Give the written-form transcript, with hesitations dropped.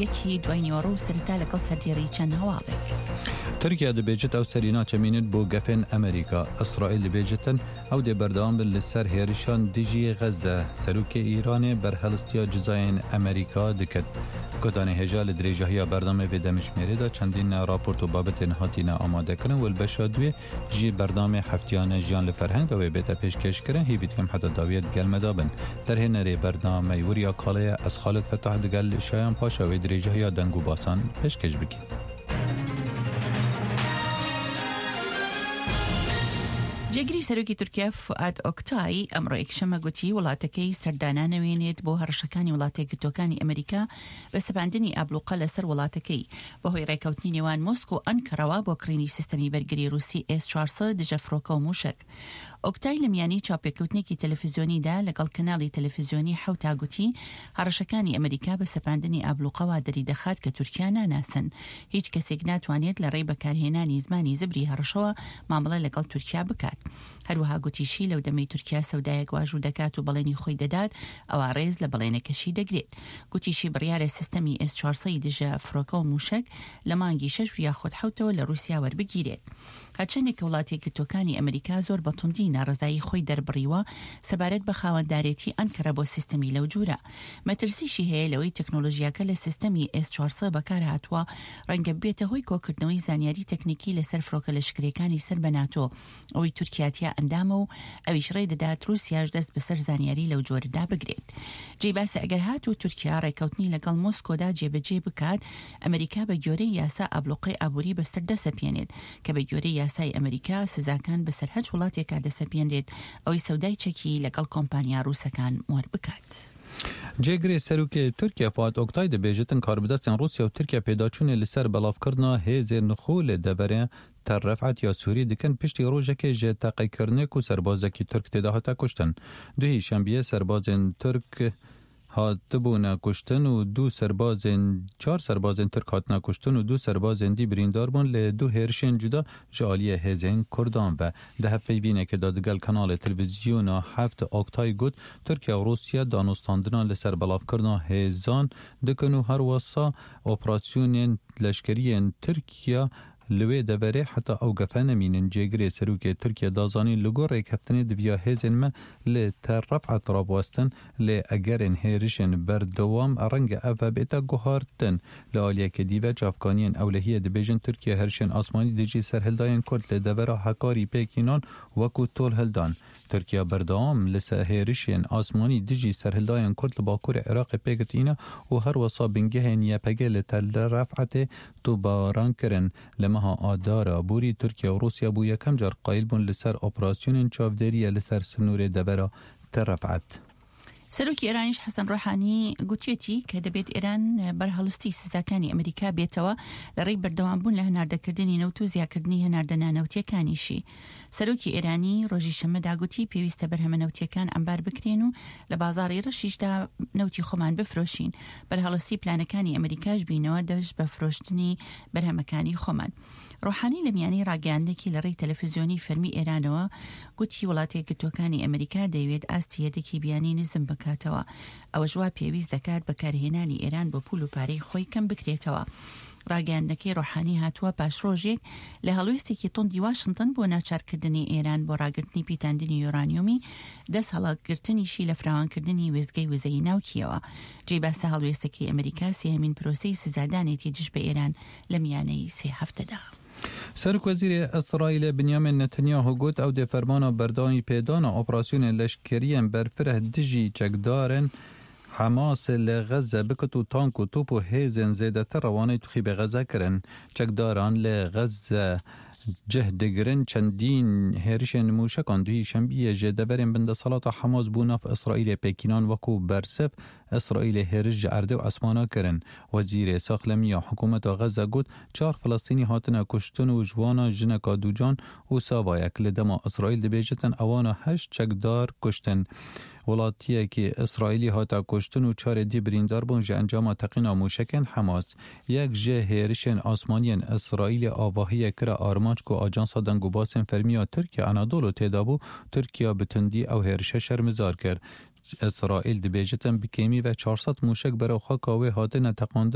یەکی دوای نیوەڕۆ و سەرەتا لەگەڵ سەردێڕی چەند هەواڵێک. تورکیا دەبێژێت ئەو سەری ناچەمینێت بۆ گەفێن ئەمریکا. ئیسرائیل دەبێژێتن ئەو دێ بەردەوام بن لە سەر هێرشان دژی غەزە. سەرۆکێ ئیرانێ بەرهەڵستیا جزایên ئەمریکا دکرد. گۆتانێ هێژا لە درێژاهیا بەرنامەێ vê demjimêrê de çendîn raport û babetên hatîne amadekirin û li beşa duê Ji bernamê heftiyane Jiyan li Ferheng de wê bête pêşkêşkirin, hêvî dikim heta dawiyê digel me de bin. Derhênerê bernameyê Wiriya Kalê ye, ez Xalid Fetah digel Şayan Paşa wê dirêjahiya deng û basan pêşkêş bikîn. جێگری سەرۆکی تورکیا فوئاد ئۆکتای ئەمڕۆ یەکشەممە گوتی وڵاتەکەی سەردانانەوێنێت بۆ هەڕەشەکانی وڵاتە یەکگرتووەکانی ئەمریکا بە سەپاندنی ئابڵوقە لەسەر وڵاتەکەی بەهۆی ڕێکەوتنی نێوان مۆسکۆ و ئەنکەرەوە بۆ کڕینی سیستەمی بەرگری ڕووسی ئێس 400 دژە فڕۆکە و مووشەک. ئۆکتای لە میانی چاوپێکەوتنێکی تەلەفزیۆنیدا لەگەڵ کەناڵی تەلەفزیۆنی حەوتا گوتی هەڕەشەکانی ئەمریکا بە سەپاندنی ئابڵوقە وا دەریدەخات کە تورکیا ناناسن. هیچ کەسێک ناتوانێت لە ڕێی بەکارهێنانی زمانی زبری هەڕەشەوە مامەڵە لەگەڵ تورکیا بکات. هەروەها گوتیشی لەو دەمەی تورکیا سەودایەک واژوو دەکات و بەڵێنی خۆی دەدات ئەوا ڕێز لە بەڵێنەکەشی دەگرێت. گوتیشی بڕیارە سیستەمی ئێس 400 ی دژە فڕۆکە و مووشەک لە مانگی شەش و یاخود حەوتەوە لە ڕووسیا وەربگیرێت. هەرچەندێک کە وڵاتە یەکگرتووەکانی ئەمریکا زۆر بە توندی ناڕەزایی خۆی دەربڕیوە سەبارەت بە خاوەندارێتی ئەنکەرە بۆ سیستەمی لەو جورە. مەترسیشی هەیە لەوەی تەکنۆلۆژیاکە لە سیستەمی ئێس 400 بەکارهاتووە ڕەنگە ببێتە هۆی کۆکردنەوەی زانیاری تەکنیکی لەسەر فڕۆکە لەشکرییەکانی سەر بە ناتۆ ئەوەی تورکیا تیا ئەندامە و ئەویش ڕێ دەدات رووسیاش دەست بەسەر زانیاری لەو جۆرەدا بگرێت. جێی باسە ئەگەر هاتوو تورکیا ڕێکەوتنی لەگەڵ مۆسکۆدا جێبەجێ بکات، ئەمریکا بە گۆرەی یاسا ئابلوقەی ئابووری بەسەر دەسەپێنێت، کە بە گۆرەی یاسای ئەمریکا سزاکان بەسەر هەچ وڵاتێکا دەسەپێنرێت ئەوەی سەودای چەکی لەگەڵ کۆمپانیا ڕووسەکان مۆر بکات. جێگرê Serokê Tirkiye Fuat Oktay dibêjitin karbidestên Rûsya û Tirkiye pêdaçûnê li ser belavkirina hêzên xwe li deverê Tel Ref'et ya Sûrî dikin piştî rojekê ji teqekirinê ku serbazekî Tirk tê de hate kuştin. Duhî şembiyê serbazên Tirk hatibûne kuştin û du serbazên çar serbazên Tirk hatine kuştin û du serbazên dî birîndar bûn lê du hêrişên cuda ji aliyê hêzên Kurdan ve. Di hevpeyvînekê de digel kanalê televîzyona heft Oktay got, Tirkiye û Rûsya danûstandinan li ser belavkirina hêzan dikin û herwisa operasyonên leşkeriyên Tirkiye Li wê deverê heta ew gefe nemînin, cêgirê Serokê Tirkiye da zanîn li gor rêkeftinê diviya hêzên me li Tel Ref'et rabwestin, lê egerên hêrişên berdewam renge ev ve bête guhartin. Li aliyekê dî ve çavkaniyên ewlehiyê dibêjin Tirkiye hêrişên asmanî dijî serhildayên Kurd li devera Hekarî pêk înan wekû tolhildan. Tirkiye berdewam li ser hêrişên asmanî dijî serhildayên Kurd li bakurê Iraqê pêk tîne û her wisa bingehên YPG li Tel Ref'etê topbaran kirin. Li meha Adara borî Tirkiye û Rûsya bû yekem car qayîl bûn li ser operasyonên çavdêriyê li ser sinûrê devera Tel Ref'et. سەرۆکی ئێرانیش حەسەن ڕۆحانی گوتوێتی کە دەبێت ئێران بەرهەڵستی سزاکانی ئەمریکا بێتەوە لە ڕێی بەردەوامبوون لە هەناردەکردنی نەوت و زیاکردنی هەناردە نانەوتیەکانیشی. سەرۆکی ئێرانی ڕۆژی شەممەدا گوتی پێویستە بەرهەمە نەوتیەکان عەمبار بکرێن و لە بازاڕی ڕەشیشدا نەوتی خۆمان بفرۆشین، بەرهەڵستی پلانەکانی ئەمریکاش بینەوە دەست بە فرۆشتنی بەرهەمەکانی خۆمان. ڕۆحانی لە میانەی ڕاگەیاندنێکی لە ڕێی تەلەفزیۆنی فەرمی ئێرانەوە گوتی وڵاتە یەکگرتووەکانی ئەمریکا دەیەوێت ئاستی یەدەکی بیانی نزم بکاتەوە، ئەوەش وا پێویست دەکات بەکارهێنانی ئێران بۆ پول و پارەی خۆی کەم بکرێتەوە. ڕاگەیاندنەکەی ڕۆحانی هاتووە پاش ڕۆژێک لە هەڵوێستێکی توندی واشنتن بۆ ناچارکردنی ئێران بۆ ڕاگرتنی پیتاندنی یۆرانیۆمی دەست هەڵگرتنیشی لە فراوانکردنی وێستگەی وزەی ناوکییەوە. جێی باسە هەڵوێستەکەی ئەمریکا سێهەمین پرۆسەی سزادانێتی دژ بە ئێران لە میانەی سێ هەفتەدا. Serokwezîrê Îsraîlê Binyamin Netanyahu got ew dê fermana berdewamî pêdana operasyonên leşkeriyên berfireh dijî çekdarên Hemasê li Xezze bikit û tank û top û hêzên zêdetir rewaneyê tuxîbê Xezze kirin. Çekdaran li Xezze cih digirin çendîn hêrişên mûşekan duhî şembiyê ji deverên bin desthilata Hemas bo nav Îsraîlê pêkînan wekû bersiv Îsraîlê hêriş ji erdê û esmana kirin. Wezîrê Saxlemiya Hikûmeta Xezze got, Çar Filistînî hatine kuştin û ji wana jineka ducan û savayek. Li dema Îsraîl dibêjitin ewana heşt çekdar kuştin. Welatiyekî Îsraîlî hate kuştin û çarê dî birîndar bûn ji encama teqîna mûşekên Hemas. Yek ji hêrişên asmaniyên Îsraîlê avahiyek kire armanc ku ajansa dengûbasên fermî ya Tirkiye Anadolu tê de bû, Tirkiye bi tundî ew hêrişe şermizar kir. ئیسرائیل دبێژیتن bi kêmî ve 400 موشک بەرەو خاکا wê hatine teqandin.